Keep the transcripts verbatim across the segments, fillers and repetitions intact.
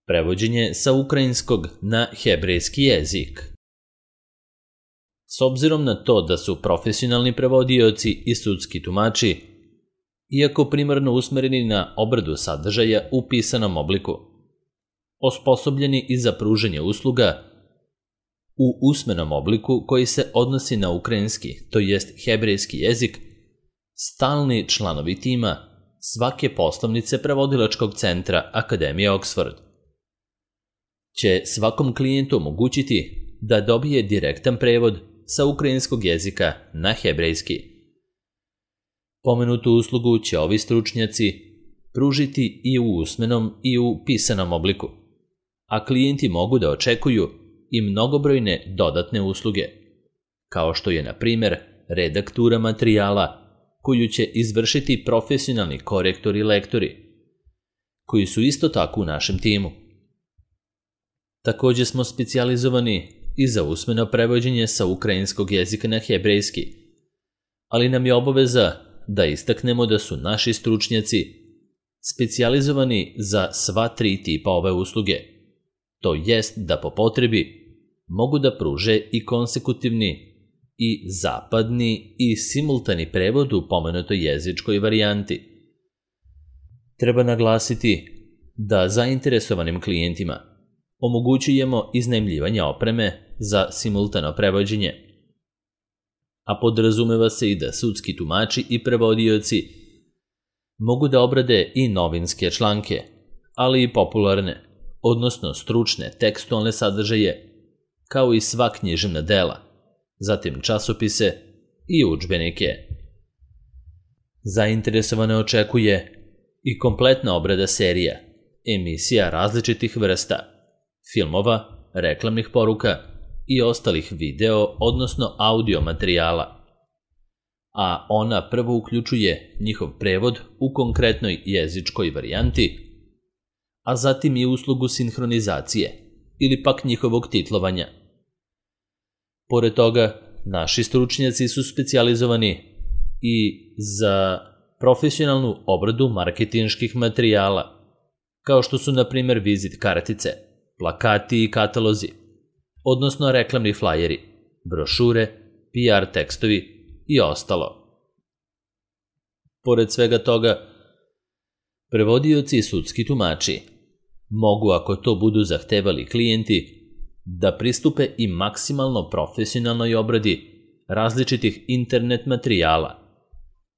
Prevođenje sa ukrajinskog na hebrejski jezik. S obzirom na to da su profesionalni prevodioci i sudski tumači, iako primarno usmereni na obradu sadržaja u pisanom obliku, osposobljeni i za pružanje usluga u usmenom obliku koji se odnosi na ukrajinski, to jest hebrejski jezik, stalni članovi tima svake poslovnice prevodilačkog centra Akademije Oxford će svakom klijentu omogućiti da dobije direktan prevod sa ukrajinskog jezika na hebrejski. Pomenutu uslugu će ovi stručnjaci pružiti i u usmenom i u pisanom obliku, a klijenti mogu da očekuju i mnogobrojne dodatne usluge, kao što je, na primjer, redaktura materijala koju će izvršiti profesionalni korektori i lektori, koji su isto tako u našem timu. Također smo specijalizovani i za usmeno prevođenje sa ukrajinskog jezika na hebrejski, ali nam je obaveza da istaknemo da su naši stručnjaci specijalizovani za sva tri tipa ove usluge, to jest da po potrebi mogu da pruže i konsekutivni i zapadni i simultani prevod u pomenutoj jezičkoj varijanti. Treba naglasiti da zainteresovanim klijentima omogućujemo iznajmljivanje opreme za simultano prevođenje, a podrazumeva se i da sudski tumači i prevodioci mogu da obrade i novinske članke, ali i popularne, odnosno stručne tekstualne sadržaje, kao i sva književna dela, zatim časopise i udžbenike. Zainteresovane očekuje i kompletna obrada serija, emisija različitih vrsta, filmova, reklamnih poruka i ostalih video, odnosno audio materijala, a ona prvo uključuje njihov prevod u konkretnoj jezičkoj varijanti, a zatim i uslugu sinhronizacije ili pak njihovog titlovanja. Pored toga, naši stručnjaci su specijalizovani i za profesionalnu obradu marketinških materijala, kao što su, na primjer, vizit kartice, plakati i katalozi, odnosno reklamni flajeri, brošure, P R tekstovi i ostalo. Pored svega toga, prevodioci i sudski tumači mogu, ako to budu zahtevali klijenti, da pristupe i maksimalno profesionalnoj obradi različitih internet materijala,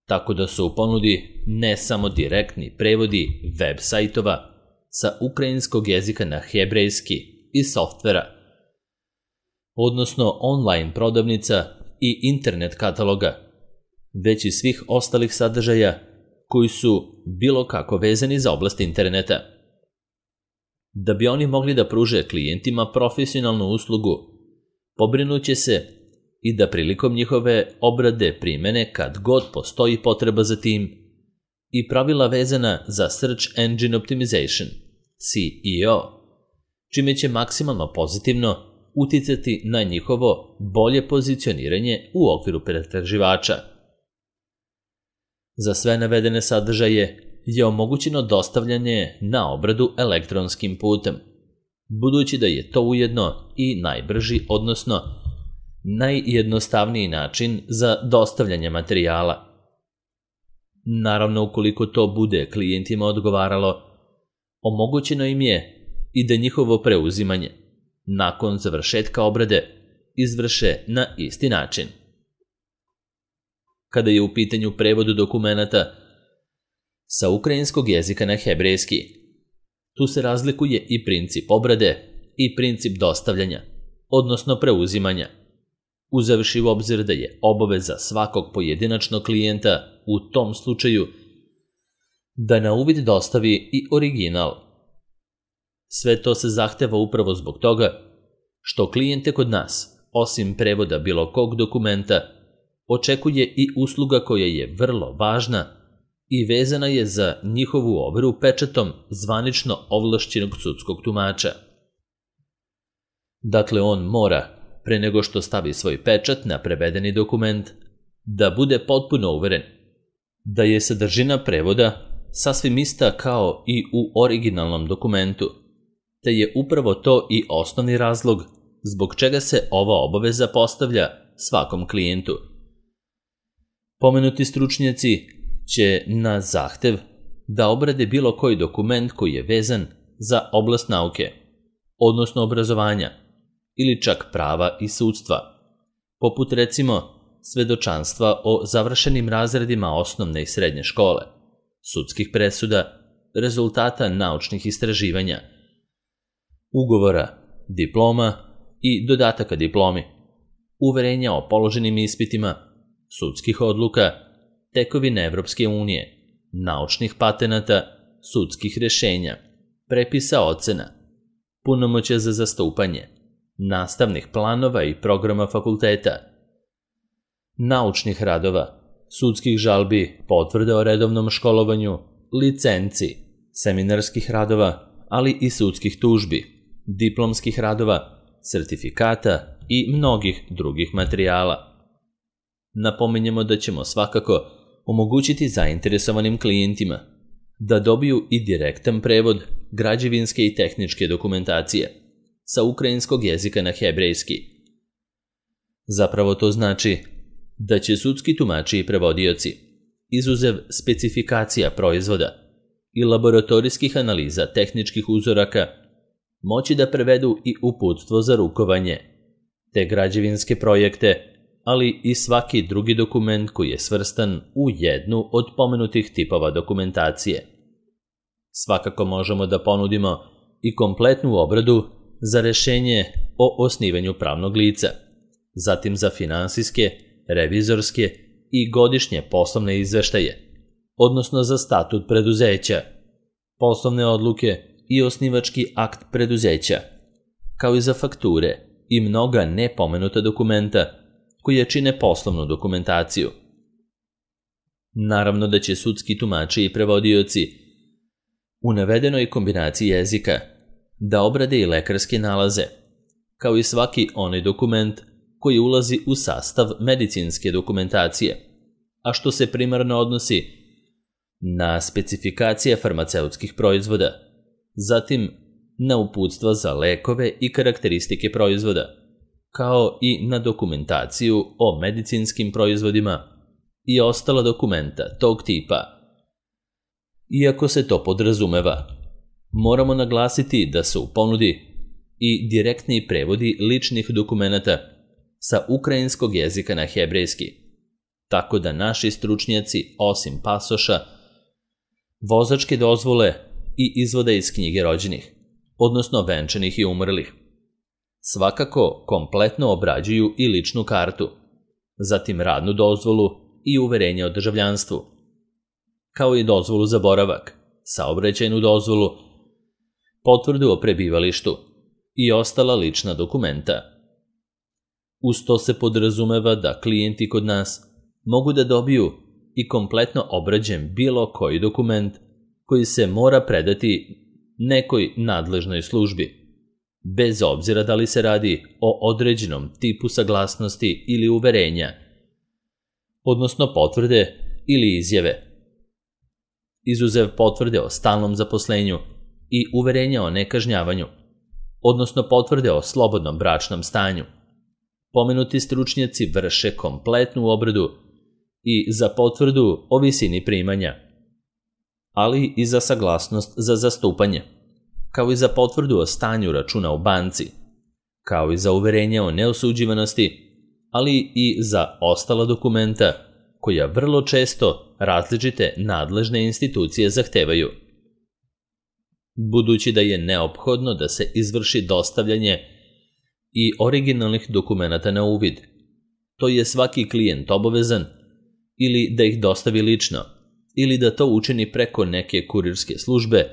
tako da su u ponudi ne samo direktni prevodi web sajtova sa ukrajinskog jezika na hebrejski i softvera, odnosno online prodavnica i internet kataloga, već i svih ostalih sadržaja koji su bilo kako vezani za oblast interneta. Da bi oni mogli da pruže klijentima profesionalnu uslugu, pobrinuće se i da prilikom njihove obrade primene kad god postoji potreba za tim i pravila vezana za Search Engine Optimization, S E O, čime će maksimalno pozitivno uticati na njihovo bolje pozicioniranje u okviru pretraživača. Za sve navedene sadržaje je omogućeno dostavljanje na obradu elektronskim putem, budući da je to ujedno i najbrži, odnosno najjednostavniji način za dostavljanje materijala. Naravno, ukoliko to bude klijentima odgovaralo, omogućeno im je i da njihovo preuzimanje, nakon završetka obrade, izvrše na isti način. Kada je u pitanju prevodu dokumenata sa ukrajinskog jezika na hebrejski, tu se razlikuje i princip obrade i princip dostavljanja, odnosno preuzimanja, uzevši u obzir da je obaveza svakog pojedinačnog klijenta u tom slučaju da na uvid dostavi i original. Sve to se zahteva upravo zbog toga što klijente kod nas, osim prevoda bilo kog dokumenta, očekuje i usluga koja je vrlo važna i vezana je za njihovu overu pečatom zvanično ovlašćenog sudskog tumača. Dakle, on mora, pre nego što stavi svoj pečat na prevedeni dokument, da bude potpuno uveren da je sadržina prevoda sasvim ista kao i u originalnom dokumentu te je upravo to i osnovni razlog zbog čega se ova obaveza postavlja svakom klijentu. Pomenuti stručnjaci će na zahtev da obrade bilo koji dokument koji je vezan za oblast nauke, odnosno obrazovanja, ili čak prava i sudstva, poput recimo svedočanstva o završenim razredima osnovne i srednje škole, sudskih presuda, rezultata naučnih istraživanja, ugovora, diploma i dodataka diplomi, uverenja o položenim ispitima, sudskih odluka, tekovine Evropske unije, naučnih patenata, sudskih rešenja, prepisa ocena, punomoćja za zastupanje, nastavnih planova i programa fakulteta, naučnih radova, sudskih žalbi, potvrde o redovnom školovanju, licenci, seminarskih radova, ali i sudskih tužbi, diplomskih radova, sertifikata i mnogih drugih materijala. Napominjemo da ćemo svakako omogućiti zainteresovanim klijentima da dobiju i direktan prevod građevinske i tehničke dokumentacije sa ukrajinskog jezika na hebrejski. Zapravo to znači da će sudski tumači i prevodioci, izuzev specifikacija proizvoda i laboratorijskih analiza tehničkih uzoraka, moći da prevedu i uputstvo za rukovanje, te građevinske projekte, ali i svaki drugi dokument koji je svrstan u jednu od pomenutih tipova dokumentacije. Svakako možemo da ponudimo i kompletnu obradu za rešenje o osnivanju pravnog lica, zatim za finansijske, revizorske i godišnje poslovne izveštaje, odnosno za statut preduzeća, poslovne odluke i osnivački akt preduzeća, kao i za fakture i mnoga nepomenuta dokumenta koje čine poslovnu dokumentaciju. Naravno da će sudski tumači i prevodioci u navedenoj kombinaciji jezika da obrade i lekarske nalaze, kao i svaki onaj dokument koji ulazi u sastav medicinske dokumentacije, a što se primarno odnosi na specifikacije farmaceutskih proizvoda, zatim na uputstva za lekove i karakteristike proizvoda, kao i na dokumentaciju o medicinskim proizvodima i ostala dokumenta tog tipa. Iako se to podrazumeva, moramo naglasiti da su u ponudi i direktni prevodi ličnih dokumenata sa ukrajinskog jezika na hebrejski, tako da naši stručnjaci, osim pasoša, vozačke dozvole i izvoda iz knjige rođenih, odnosno venčanih i umrlih, svakako kompletno obrađuju i ličnu kartu, zatim radnu dozvolu i uverenje o državljanstvu, kao i dozvolu za boravak, saobraćajnu dozvolu, potvrdu o prebivalištu i ostala lična dokumenta. Uz to se podrazumeva da klijenti kod nas mogu da dobiju i kompletno obrađen bilo koji dokument koji se mora predati nekoj nadležnoj službi, bez obzira da li se radi o određenom tipu saglasnosti ili uverenja, odnosno potvrde ili izjave. Izuzev potvrde o stalnom zaposlenju i uverenja o nekažnjavanju, odnosno potvrde o slobodnom bračnom stanju, pomenuti stručnjaci vrše kompletnu obradu i za potvrdu o visini primanja, ali i za saglasnost za zastupanje, kao i za potvrdu o stanju računa u banci, kao i za uverenje o neosuđivanosti, ali i za ostala dokumenta koja vrlo često različite nadležne institucije zahtevaju. Budući da je neophodno da se izvrši dostavljanje i originalnih dokumenata na uvid, to je svaki klijent obavezan ili da ih dostavi lično, ili da to učini preko neke kurirske službe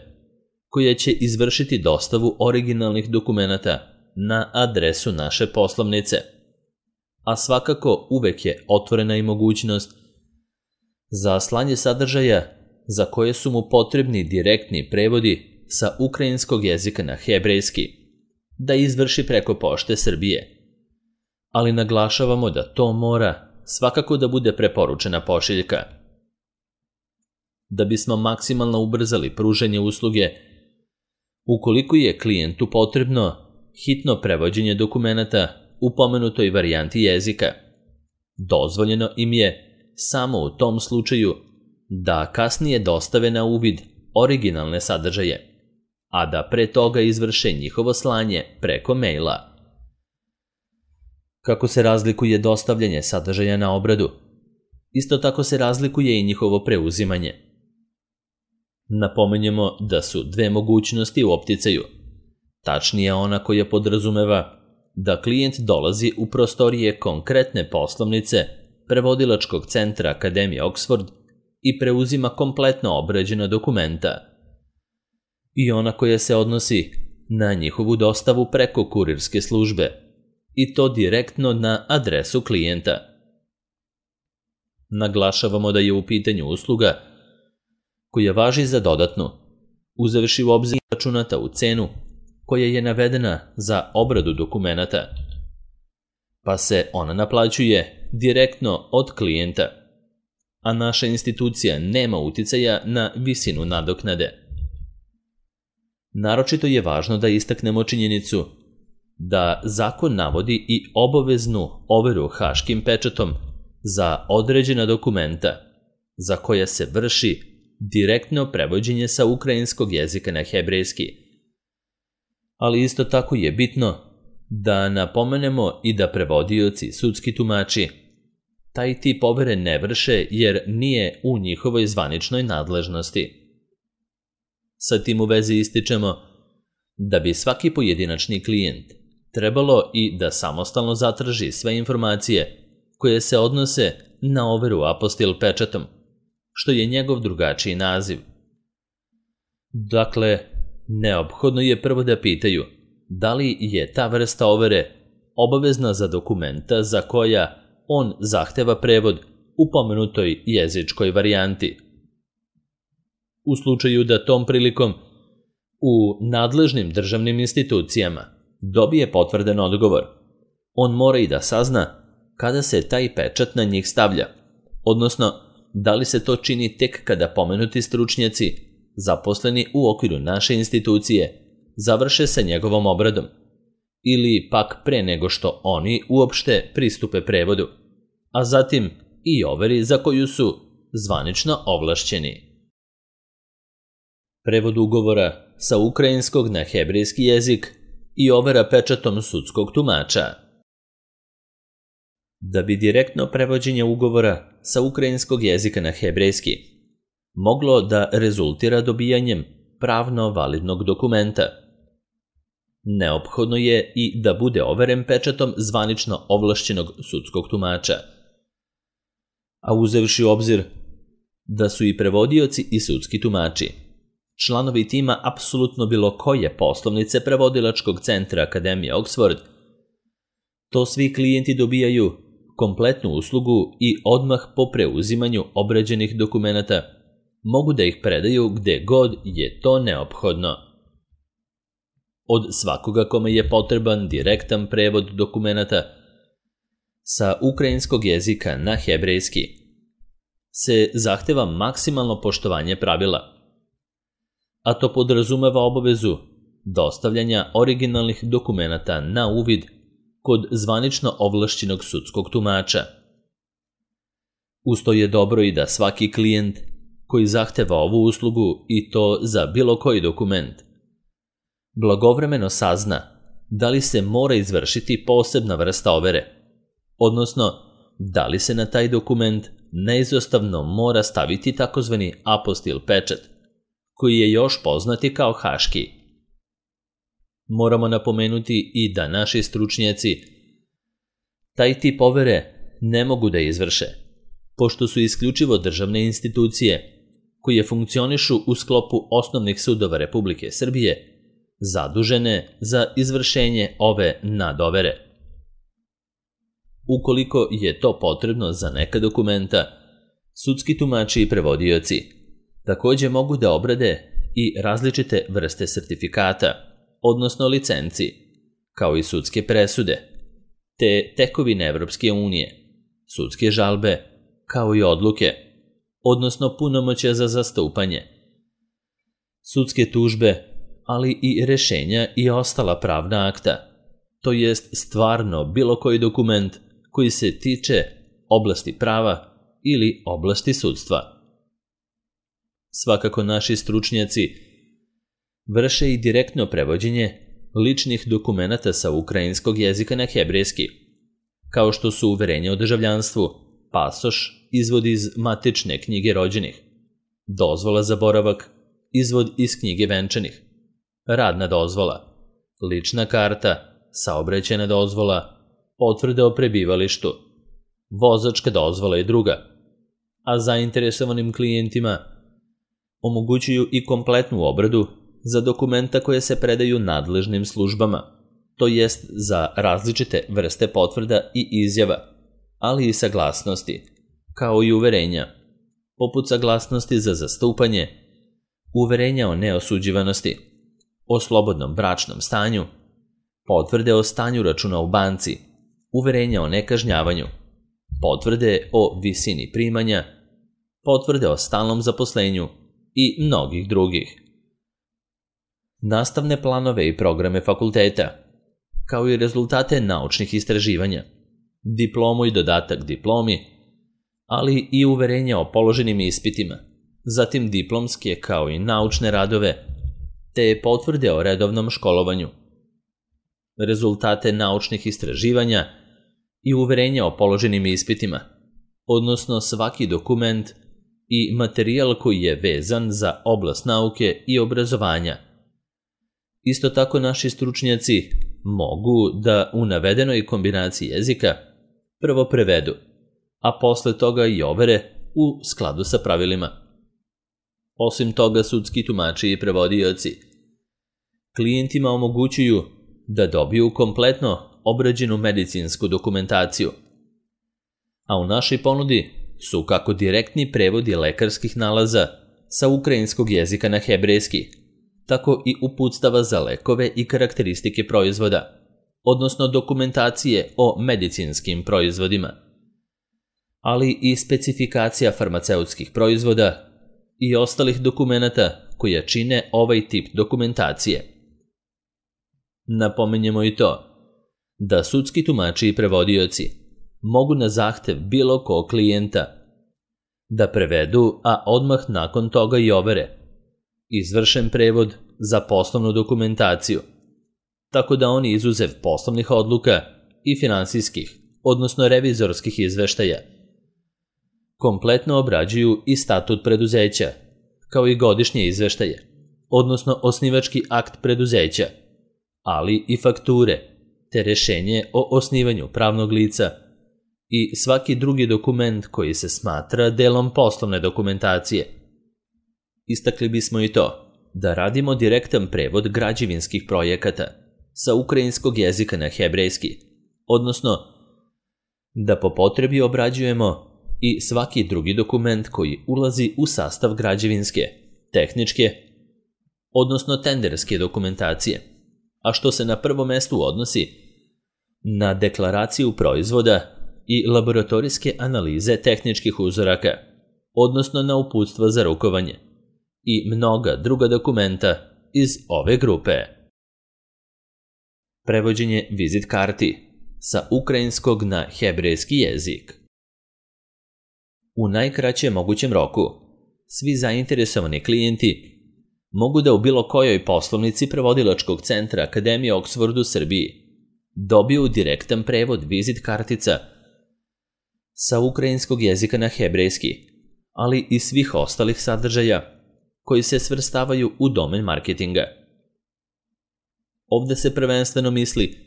koja će izvršiti dostavu originalnih dokumenata na adresu naše poslovnice. A svakako uvek je otvorena i mogućnost za slanje sadržaja za koje su mu potrebni direktni prevodi sa ukrajinskog jezika na hebrejski, da izvrši preko Pošte Srbije. Ali naglašavamo da to mora svakako da bude preporučena pošiljka. Da bismo maksimalno ubrzali pružanje usluge, Ukoliko je klijentu potrebno hitno prevođenje dokumenata u pomenutoj varijanti jezika, dozvoljeno im je samo u tom slučaju da kasnije dostave na uvid originalne sadržaje, a da pre toga izvrše njihovo slanje preko maila. Kako se razlikuje dostavljanje sadržaja na obradu, isto tako se razlikuje i njihovo preuzimanje. Napomenjemo da su dve mogućnosti u opticaju, tačnije ona koja podrazumeva da klijent dolazi u prostorije konkretne poslovnice prevodilačkog centra Akademije Oxford i preuzima kompletno obrađena dokumenta, i ona koja se odnosi na njihovu dostavu preko kurirske službe, i to direktno na adresu klijenta. Naglašavamo da je u pitanju usluga koja važi za dodatnu, uzevši u obzir računata u cenu koja je navedena za obradu dokumenata, pa se ona naplaćuje direktno od klijenta, a naša institucija nema uticaja na visinu nadoknade. Naročito je važno da istaknemo činjenicu da zakon navodi i obaveznu overu haškim pečatom za određena dokumenta za koja se vrši direktno prevođenje sa ukrajinskog jezika na hebrejski. Ali isto tako je bitno da napomenemo i da prevodioci, sudski tumači, taj tip overe ne vrše jer nije u njihovoj zvaničnoj nadležnosti. Sa tim u vezi ističemo da bi svaki pojedinačni klijent trebalo i da samostalno zatraži sve informacije koje se odnose na overu apostil pečatom, što je njegov drugačiji naziv. Dakle, neophodno je prvo da pitaju da li je ta vrsta overe obavezna za dokumenta za koja on zahteva prevod u pomenutoj jezičkoj varijanti. U slučaju da tom prilikom u nadležnim državnim institucijama dobije potvrden odgovor, on mora i da sazna kada se taj pečat na njih stavlja, odnosno da li se to čini tek kada pomenuti stručnjaci, zaposleni u okviru naše institucije, završe sa njegovom obradom, ili pak pre nego što oni uopšte pristupe prevodu, a zatim i overi za koju su zvanično ovlašćeni. Prevod ugovora sa ukrajinskog na hebrejski jezik i overa pečatom sudskog tumača. Da bi direktno prevođenje ugovora sa ukrajinskog jezika na hebrejski moglo da rezultira dobijanjem pravno validnog dokumenta, neophodno je i da bude overen pečatom zvanično ovlašćenog sudskog tumača. A uzevši u obzir da su i prevodioci i sudski tumači članovi tima apsolutno bilo koje poslovnice prevodilačkog centra Akademije Oxford, to svi klijenti dobijaju kompletnu uslugu i odmah po preuzimanju obrađenih dokumenata mogu da ih predaju gde god je to neophodno. Od svakoga kome je potreban direktan prevod dokumenata sa ukrajinskog jezika na hebrejski se zahteva maksimalno poštovanje pravila, a to podrazumeva obavezu dostavljanja originalnih dokumenata na uvid kod zvanično ovlašćenog sudskog tumača. Usto je dobro i da svaki klijent koji zahteva ovu uslugu i to za bilo koji dokument blagovremeno sazna da li se mora izvršiti posebna vrsta overe, odnosno da li se na taj dokument neizostavno mora staviti takozvani apostil pečat, koji je još poznati kao haški. Moramo napomenuti i da naši stručnjaci taj tip overe ne mogu da izvrše, pošto su isključivo državne institucije koje funkcionišu u sklopu osnovnih sudova Republike Srbije zadužene za izvršenje ove nadovere. Ukoliko je to potrebno za neka dokumenta, sudski tumači i prevodioci takođe mogu da obrade i različite vrste sertifikata, odnosno licenci, kao i sudske presude, te tekovine Evropske unije, sudske žalbe, kao i odluke, odnosno punomoćja za zastupanje, sudske tužbe, ali i rešenja i ostala pravna akta, to jest stvarno bilo koji dokument koji se tiče oblasti prava ili oblasti sudstva. Svakako naši stručnjaci vrše i direktno prevođenje ličnih dokumenata sa ukrajinskog jezika na hebrejski, kao što su uverenje o državljanstvu, pasoš, izvod iz matične knjige rođenih, dozvola za boravak, izvod iz knjige venčanih, radna dozvola, lična karta, saobraćajna dozvola, potvrde o prebivalištu, vozačka dozvola i druga, a zainteresovanim klijentima omogućuju i kompletnu obradu za dokumenta koje se predaju nadležnim službama, to jest za različite vrste potvrda i izjava, ali i saglasnosti, kao i uverenja, poput saglasnosti za zastupanje, uverenja o neosuđivanosti, o slobodnom bračnom stanju, potvrde o stanju računa u banci, uverenja o nekažnjavanju, potvrde o visini primanja, potvrde o stalnom zaposlenju i mnogih drugih. Nastavne planove i programe fakulteta, kao i rezultate naučnih istraživanja, diplomu i dodatak diplomi, ali i uverenja o položenim ispitima, zatim diplomske kao i naučne radove, te potvrde o redovnom školovanju, rezultate naučnih istraživanja i uverenja o položenim ispitima, odnosno svaki dokument i materijal koji je vezan za oblast nauke i obrazovanja. Isto tako naši stručnjaci mogu da u navedenoj kombinaciji jezika prvo prevedu, a posle toga i overe u skladu sa pravilima. Osim toga, sudski tumači i prevodioci klijentima omogućuju da dobiju kompletno obrađenu medicinsku dokumentaciju, a u našoj ponudi su kako direktni prevodi lekarskih nalaza sa ukrajinskog jezika na hebrejski, tako i uputstava za lekove i karakteristike proizvoda, odnosno dokumentacije o medicinskim proizvodima, ali i specifikacija farmaceutskih proizvoda i ostalih dokumenata koja čine ovaj tip dokumentacije. Napominjemo i to da sudski tumači i prevodioci mogu na zahtev bilo kog klijenta da prevedu, a odmah nakon toga i overe izvršen prevod za poslovnu dokumentaciju, tako da oni izuzev poslovnih odluka i finansijskih, odnosno revizorskih izveštaja, kompletno obrađuju i statut preduzeća, kao i godišnje izveštaje, odnosno osnivački akt preduzeća, ali i fakture, te rešenje o osnivanju pravnog lica i svaki drugi dokument koji se smatra delom poslovne dokumentacije. Istakli bismo i to da radimo direktan prevod građevinskih projekata sa ukrajinskog jezika na hebrejski, odnosno da po potrebi obrađujemo i svaki drugi dokument koji ulazi u sastav građevinske, tehničke, odnosno tenderske dokumentacije, a što se na prvo mestu odnosi na deklaraciju proizvoda i laboratorijske analize tehničkih uzoraka, odnosno na uputstva za rukovanje i mnoga druga dokumenta iz ove grupe. Prevođenje vizit karti sa ukrajinskog na hebrejski jezik. U najkraćem mogućem roku, svi zainteresovani klijenti mogu da u bilo kojoj poslovnici prevodilačkog centra Akademije Oxford u Srbiji dobiju direktan prevod vizit kartica sa ukrajinskog jezika na hebrejski, ali i svih ostalih sadržaja koji se svrstavaju u domen marketinga. Ovde se prvenstveno misli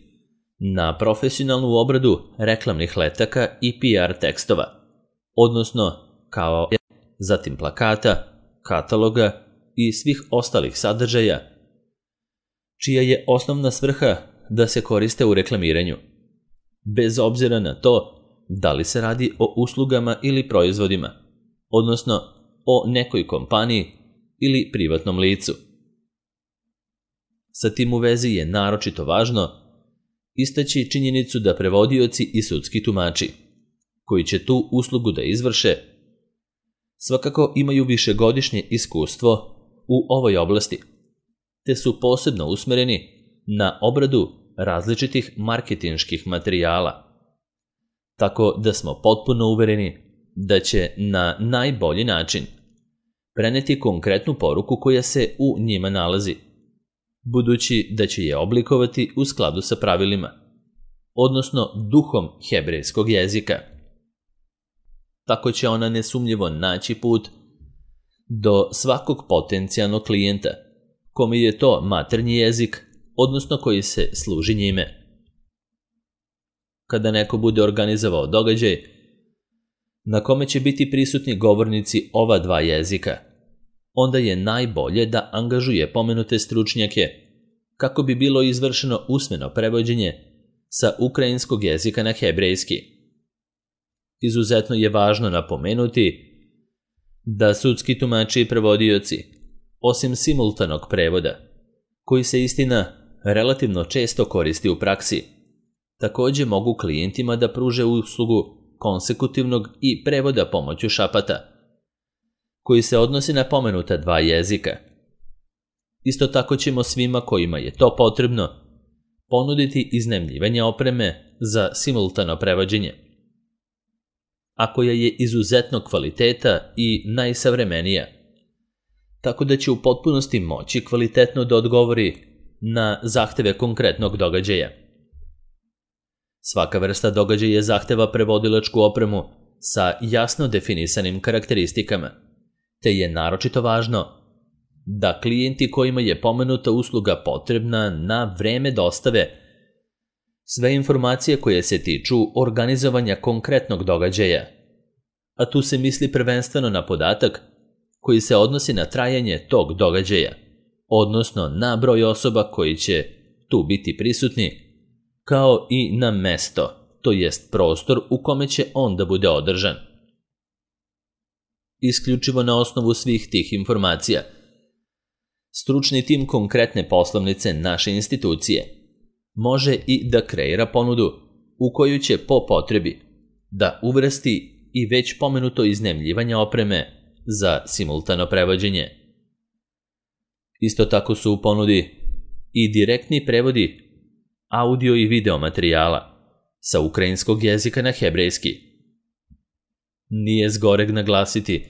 na profesionalnu obradu reklamnih letaka i P R tekstova, odnosno kao zatim plakata, kataloga i svih ostalih sadržaja, čija je osnovna svrha da se koriste u reklamiranju, bez obzira na to da li se radi o uslugama ili proizvodima, odnosno o nekoj kompaniji ili privatnom licu. Sa tim u vezi je naročito važno istaći činjenicu da prevodioci i sudski tumači, koji će tu uslugu da izvrše, svakako imaju višegodišnje iskustvo u ovoj oblasti, te su posebno usmereni na obradu različitih marketinških materijala. Tako da smo potpuno uvereni da će na najbolji način preneti konkretnu poruku koja se u njima nalazi, budući da će je oblikovati u skladu sa pravilima, odnosno duhom hebrejskog jezika. Tako će ona nesumnjivo naći put do svakog potencijalnog klijenta, kome je to maternji jezik, odnosno koji se služi njime. Kada neko bude organizovao događaj na kome će biti prisutni govornici ova dva jezika, onda je najbolje da angažuje pomenute stručnjake kako bi bilo izvršeno usmeno prevođenje sa ukrajinskog jezika na hebrejski. Izuzetno je važno napomenuti da sudski tumači i prevodioci, osim simultanog prevoda, koji se istina relativno često koristi u praksi, također mogu klijentima da pruže uslugu konsekutivnog i prevoda pomoću šapata, koji se odnosi na pomenuta dva jezika. Isto tako ćemo svima kojima je to potrebno ponuditi iznajmljivanje opreme za simultano prevođenje, a koja je izuzetno kvaliteta i najsavremenija, tako da će u potpunosti moći kvalitetno da odgovori na zahteve konkretnog događaja. Svaka vrsta događaja zahteva prevodilačku opremu sa jasno definisanim karakteristikama, te je naročito važno da klijenti kojima je pomenuta usluga potrebna na vreme dostave sve informacije koje se tiču organizovanja konkretnog događaja, a tu se misli prvenstveno na podatak koji se odnosi na trajanje tog događaja, odnosno na broj osoba koji će tu biti prisutni, kao i na mesto, to jest prostor u kome će on da bude održan. Isključivo na osnovu svih tih informacija, stručni tim konkretne poslovnice naše institucije može i da kreira ponudu u koju će po potrebi da uvrsti i već pomenuto iznajmljivanje opreme za simultano prevođenje. Isto tako su u ponudi i direktni prevodi audio i video materijala sa ukrajinskog jezika na hebrejski. Nije zgoreg naglasiti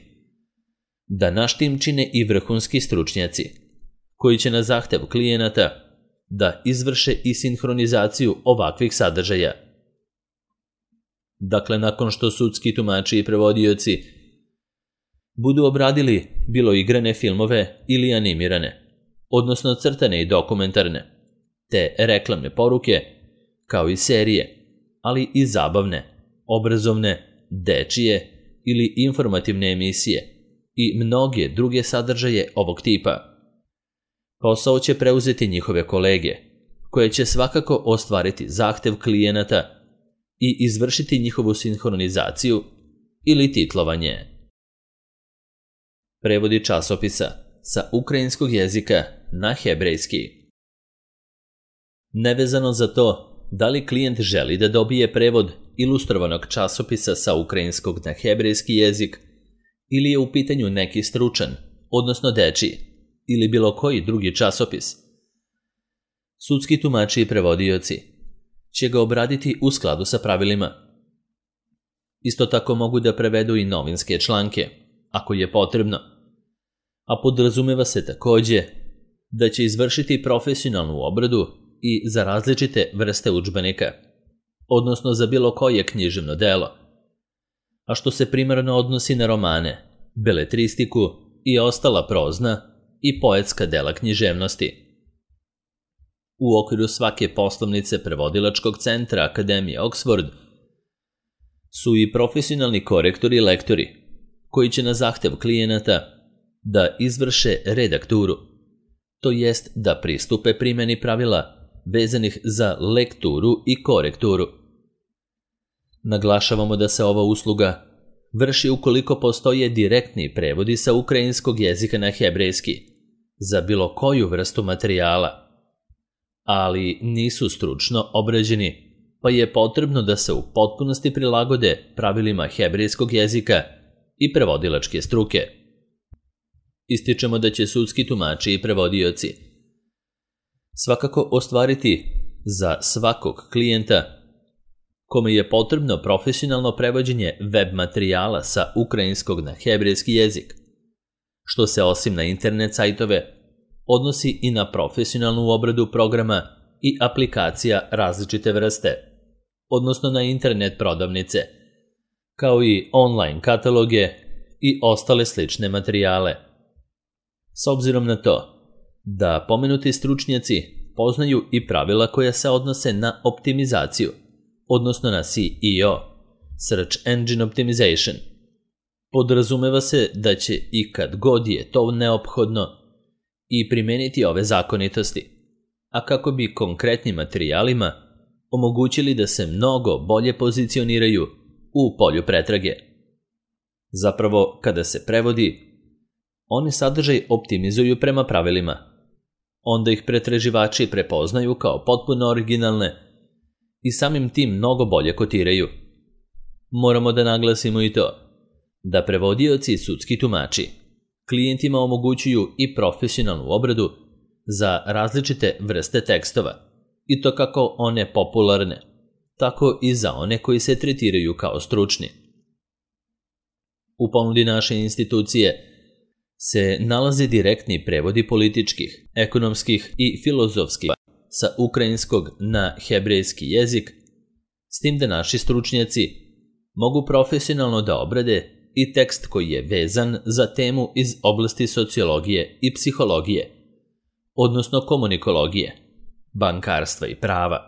da naš tim čine i vrhunski stručnjaci koji će na zahtev klijenata da izvrše i sinhronizaciju ovakvih sadržaja. Dakle, nakon što sudski tumači i prevodioci budu obradili bilo igrane filmove ili animirane, odnosno crtane i dokumentarne, te reklamne poruke, kao i serije, ali i zabavne, obrazovne, dečije ili informativne emisije i mnoge druge sadržaje ovog tipa. Posao će preuzeti njihove kolege, koje će svakako ostvariti zahtev klijenata i izvršiti njihovu sinhronizaciju ili titlovanje. Prevodi časopisa sa ukrajinskog jezika na hebrejski. Nevezano za to da li klijent želi da dobije prevod ilustrovanog časopisa sa ukrajinskog na hebrejski jezik ili je u pitanju neki stručan, odnosno dečiji, ili bilo koji drugi časopis, sudski tumači i prevodioci će ga obraditi u skladu sa pravilima. Isto tako mogu da prevedu i novinske članke, ako je potrebno, a podrazumeva se također da će izvršiti profesionalnu obradu i za različite vrste udžbenika, odnosno za bilo koje književno delo, a što se primarno odnosi na romane, beletristiku i ostala prozna i poetska dela književnosti. U okviru svake poslovnice prevodilačkog centra Akademije Oxford su i profesionalni korektori i lektori, koji će na zahtev klijenata da izvrše redakturu, to jest da pristupe primjeni pravila vezanih za lekturu i korekturu. Naglašavamo da se ova usluga vrši ukoliko postoje direktni prevodi sa ukrajinskog jezika na hebrejski za bilo koju vrstu materijala, ali nisu stručno obrađeni, pa je potrebno da se u potpunosti prilagode pravilima hebrejskog jezika i prevodilačke struke. Ističemo da će sudski tumači i prevodioci svakako ostvariti za svakog klijenta kome je potrebno profesionalno prevođenje web materijala sa ukrajinskog na hebrejski jezik, što se osim na internet sajtove odnosi i na profesionalnu obradu programa i aplikacija različite vrste, odnosno na internet prodavnice, kao i online kataloge i ostale slične materijale. S obzirom na to da pomenuti stručnjaci poznaju i pravila koja se odnose na optimizaciju, odnosno na S E O, Search Engine Optimization, podrazumeva se da će i kad god je to neophodno i primeniti ove zakonitosti, a kako bi konkretnim materijalima omogućili da se mnogo bolje pozicioniraju u polju pretrage. Zapravo, kada se prevodi, oni sadržaj optimizuju prema pravilima. Onda ih pretraživači prepoznaju kao potpuno originalne i samim tim mnogo bolje kotiraju. Moramo da naglasimo i to da prevodioci i sudski tumači klijentima omogućuju i profesionalnu obradu za različite vrste tekstova, i to kako one popularne, tako i za one koji se tretiraju kao stručni. U ponudi naše institucije se nalaze direktni prevodi političkih, ekonomskih i filozofskih sa ukrajinskog na hebrejski jezik, s tim da naši stručnjaci mogu profesionalno da obrade i tekst koji je vezan za temu iz oblasti sociologije i psihologije, odnosno komunikologije, bankarstva i prava,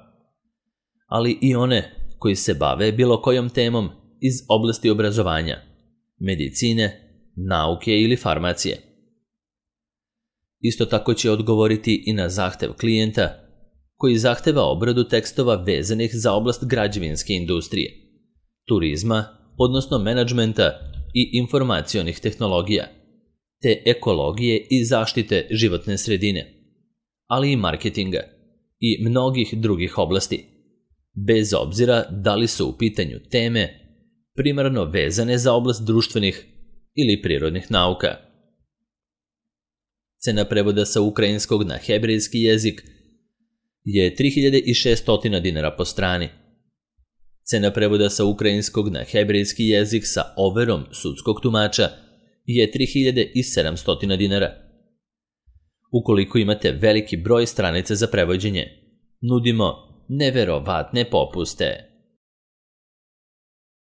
ali i one koji se bave bilo kojom temom iz oblasti obrazovanja, medicine, nauke ili farmacije. Isto tako će odgovoriti i na zahtev klijenta koji zahteva obradu tekstova vezanih za oblast građevinske industrije, turizma, odnosno menadžmenta i informacionih tehnologija, te ekologije i zaštite životne sredine, ali i marketinga i mnogih drugih oblasti, bez obzira da li su u pitanju teme primarno vezane za oblast društvenih ili prirodnih nauka. Cena prevoda sa ukrajinskog na hebrejski jezik je tri hiljade šessto dinara po strani. Cena prevoda sa ukrajinskog na hebrejski jezik sa overom sudskog tumača je tri hiljade sedamsto dinara. Ukoliko imate veliki broj stranica za prevođenje, nudimo neverovatne popuste.